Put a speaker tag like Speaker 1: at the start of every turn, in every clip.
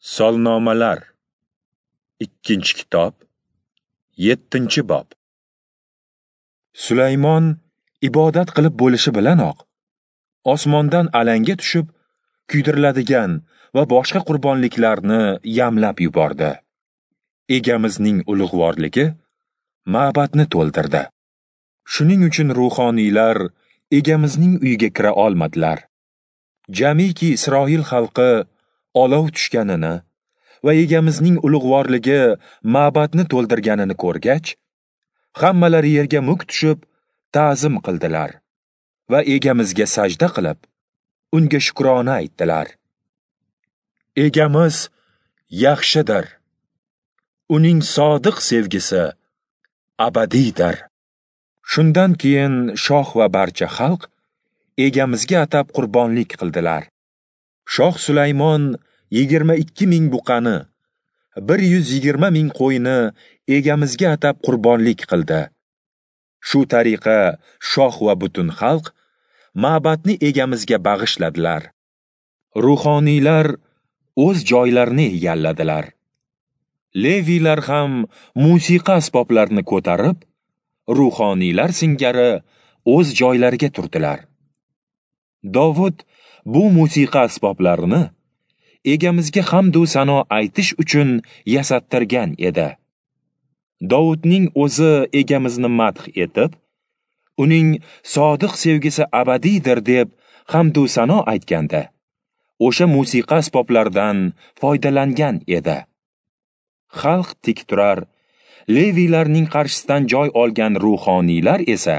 Speaker 1: Solnomalar, 2-kitob, 7-bob. Sulaymon ibodat qilib bo'lishi bilanoq osmondan alanga tushib, kuydiriladigan va boshqa qurbonliklarni yamlab yubordi. Egamizning ulug'vorligi ma'batni to'ldirdi. Shuning uchun ruhoniylar egamizning uyiga kira olmadilar. Jamiki Isroil xalqi olov tushganini va egamizning ulug'vorligi ma'batni to'ldirganini ko'rgach, hammalari yerga muk tushib ta'zim qildilar va egamizga sajda qilib, unga shukrona aytdilar. Egamiz yaxshidir. Uning sodiq sevgisi abadiydir. Shundan keyin shoh va barcha xalq egamizga atab qurbonlik qildilar. Shoh Sulaymon 22 ming buqani, 120 ming qo'yni egamizga atab qurbonlik qildi. Shu tariqa shoh va butun xalq ma'batni egamizga bag'ishladilar. Ruhoniylar o'z joylarini egalladilar. Leviylar ham musiqa asboblarini ko'tarib, ruhoniylar singari o'z joylariga turdilar. Dovud bu musiqa asboblarini egamizga hamd u sano aytish uchun yasattirgan edi. Dovudning o'zi egamizni madh etib, uning sodiq sevgisi abadiydir deb hamd u sano aytganda, o'sha musiqa asboblaridan foydalangan edi. Xalq tik turar, Leviylarning qarshisidan joy olgan ruhoniylar esa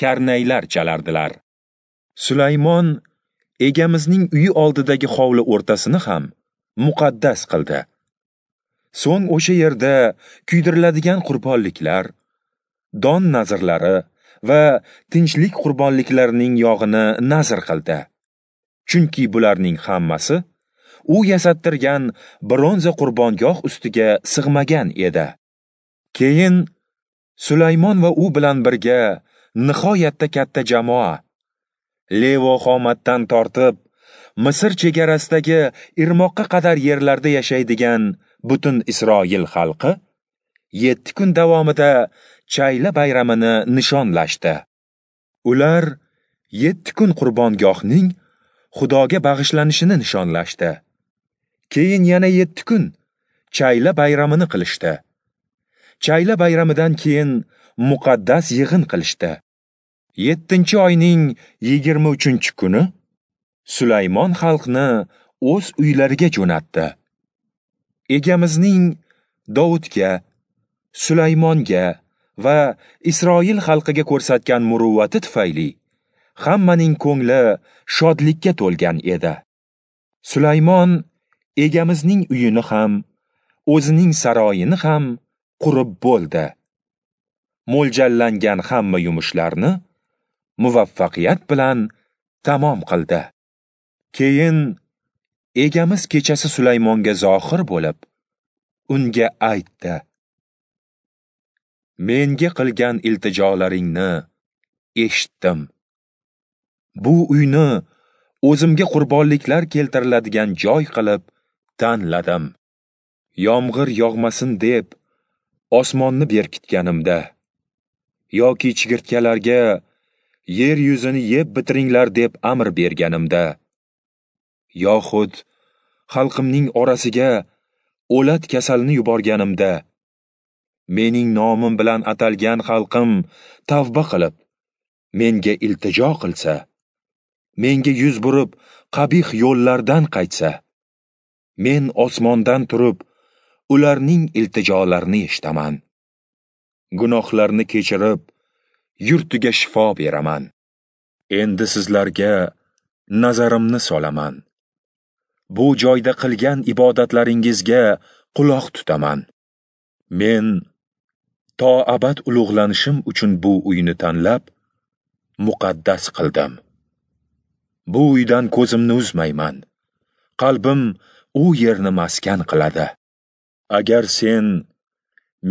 Speaker 1: karnaylar chalardilar. Sulaymon egamizning uyi oldidagi hovli o'rtasini ham muqaddas qildi. So'ng o'sha yerda kuydiriladigan qurbonliklar, don nazrlari va tinchlik qurbonliklarining yog'ini nazr qildi. Chunki bularning hammasi u yasattirgan bronza qurbongoh ustiga sig'magan edi. Keyin Sulaymon va u bilan birga nihoyatda katta jamoa Levo Xomatdan tortib Misr chegarasidagi Irmoqqa qadar yerlarda yashaydigan butun Isroil xalqi 7 kun davomida Chayla bayramini nishonlashdi. Ular 7 kun qurbongohning Xudoga bag'ishlanishini nishonlashdi. Keyin yana 7 kun Chayla bayramini qilishdi. Chayla bayramidan keyin muqaddas yig'in qilishdi. 7-oyning 23-kuni Sulaymon xalqni o'z uylariga jo'natdi. Egamizning Dovudga, Sulaymonga va Isroil xalqiga ko'rsatgan muruvvati tufayli hammaning ko'ngli shodlikka to'lgan edi. Sulaymon egamizning uyini ham, o'zining saroyini ham qurib bo'ldi. Mo'ljallangan hamma yumushlarni muvaffaqiyat bilan tamom qildi. Keyin egamiz kechasi Sulaymonga zohir bo'lib, unga aytdi: Menga qilgan iltijolaringni eshitdim. Bu uyni o'zimga qurbonliklar keltiriladigan joy qilib tanladim. Yomg'ir yog'masin deb osmonni berkitganimda yoki chigirtkalarga yer yuzini yeb bitiringlar deb amr berganimda, yoxud xalqimning orasiga o'lat kasalini yuborganimda, mening nomim bilan atalgan xalqim tavba qilib, menga iltijo qilsa, menga yuz burib qabih yo'llardan qaytsa, men osmondan turib ularning iltijolarini eshitaman. Gunohlarni kechirib, yurtiga shifo beraman. Endi sizlarga nazarimni solaman. Bu joyda qilgan ibodatlaringizga quloq tutaman. Men to abad ulug'lanishim uchun bu uyni tanlab, muqaddas qildim. Bu uydan ko'zimni uzmayman. Qalbim u yerni maskan qiladi. Agar sen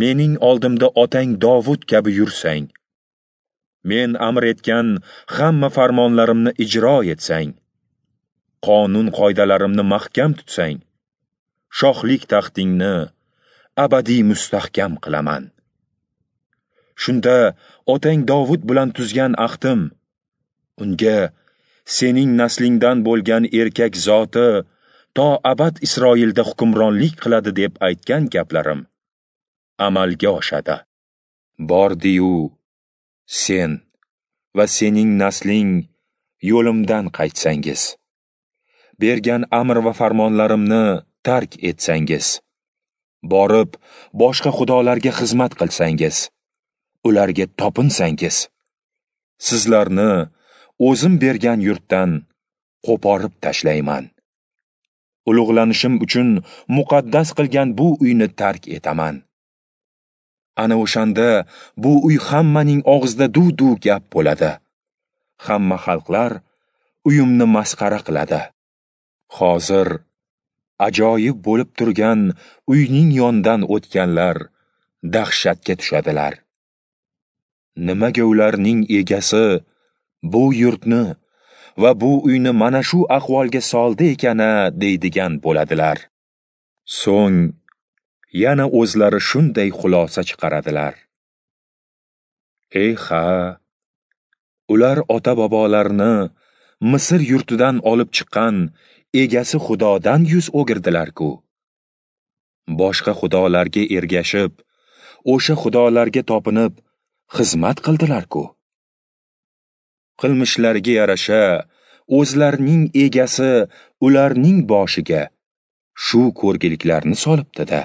Speaker 1: mening oldimda otang Dovud kabi yursang, men amr etgan hamma farmonlarimni ijro etsang, qonun qoidalarimni mahkam tutsang, Shohlik taxtingni abadiy mustahkam qilaman. Shunda otang Dovud bilan tuzgan ahdim, unga sening naslingdan bo'lgan erkak zoti to abad Isroilda hukmronlik qiladi deb aytgan gaplarim amalga oshadi. Bordi-yu sen va sening nasling yo'limdan qaytsangiz, bergan amr va farmonlarimni tark etsangiz, borib boshqa xudolarga xizmat qilsangiz, ularga topinsangiz, sizlarni o'zim bergan yurtdan qo'porib tashlayman. Ulug'lanishim uchun muqaddas qilgan bu uyni tark etaman. Ana o'shanda bu uy hammaning og'zida duv-duv gap bo'ladi. Hamma xalqlar uyimni masxara qiladi. Hozir ajoyib bo'lib turgan uyning yonidan o'tganlar dahshatga tushadilar. Nimaga ularning egasi bu yurtni va bu uyni mana shu ahvolga soldi ekana deydigan bo'ladilar. So'ng yana o'zlari shunday xulosa chiqaradilar: Ey ha, ular ota-bobolarini Misr yurtidan olib chiqqan egasi Xudodan yuz o'girdilar-ku. Boshqa xudolarga ergashib, o'sha xudolarga topinib xizmat qildilar-ku. Qilmishlariga yarasha o'zlarining egasi ularning boshiga shu ko'rgiliklarni solibdi-da.